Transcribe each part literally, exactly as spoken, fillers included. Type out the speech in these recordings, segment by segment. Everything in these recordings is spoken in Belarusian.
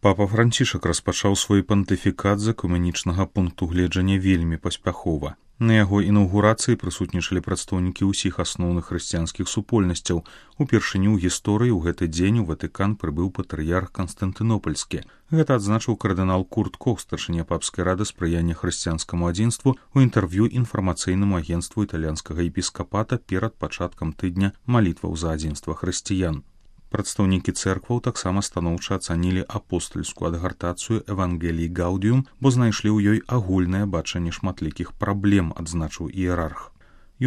Папа Францішак распачаў свой пантыфікат з экуменічнага пункту гледжання вельмі паспяхова. На яго інаўгурацыі прысутнічалі прадстаўнікі ўсіх асноўных хрысціянскіх супольнасцяў. Упершыню ў гісторыі ў гэты дзень у Ватыкан прыбыў патрыярх Канстантынопальскі. Гэта адзначыў кардынал Курт Кох, старшыня папскай рады спрыяння хрысціянскаму адзінству, у інтэрв'ю інфармацыйнаму агенцтву італьянскага епіскапата перад пачаткам тыдня малітваў за адзінства хрысціян. Прадстаўнікі цэркваў таксама станоўча ацанілі апостальскую адгартацыю Евангеліі Гаудіум, бо знайшлі ў ёй агульнае бачанне шматлікіх праблем, адзначыў іерарх.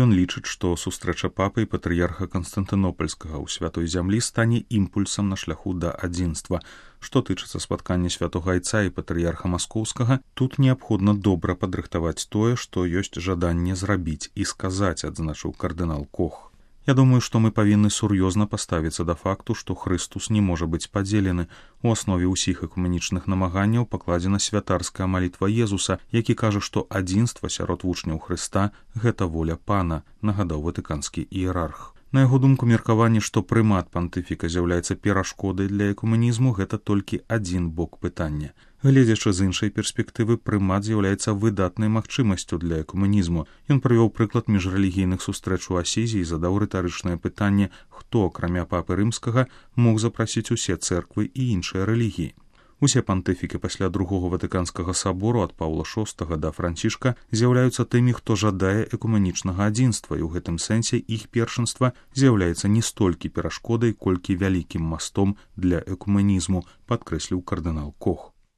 Ён лічыць, што сустрэча папы і патрыярха Канстантынопальскага ў святой зямлі стане імпульсам на шляху да адзінства. Што тычыцца спаткання святога айца і патрыярха маскоўскага, тут неабходна добра падрыхтаваць тое, што ёсць жаданне зрабіць і сказаць, адзначыў кардынал Кох. Я думаю, што мы павінны сур'ёзна паставіцца да факту, што Хрыстус не можа быць падзелены. У аснове ўсіх экуменічных намаганняў пакладзена святарская малітва Езуса, які кажа, што адзінства сярод вучняў Хрыста – гэта воля Пана, нагадаў ватыканскі іерарх. На яго думку, меркаванне, што прымат пантыфіка з'яўляецца перашкодай для экуменізму, гэта толькі адзін бок пытання. Гледзячы з іншай перспектывы, прымат з'яўляецца выдатнай магчымасцю для экуменізму. Ён прывёў прыклад міжрэлігійных сустрэч у Асізі і задаў рытарычнае пытанне, хто, акрамя папы рымскага, мог запрасіць усе цэрквы і іншыя рэлігіі. Усе пантыфікі пасля другога ватыканскага сабору ад Паўла шостага да Францішка з'яўляюцца тымі, хто жадае экуменічнага адзінства, і ў гэтым сэнсе іх першынства з'яўляецца не столькі перашкодай, колькі вялікім мастом для экуменізму, падкрэсліў кардынал Кох.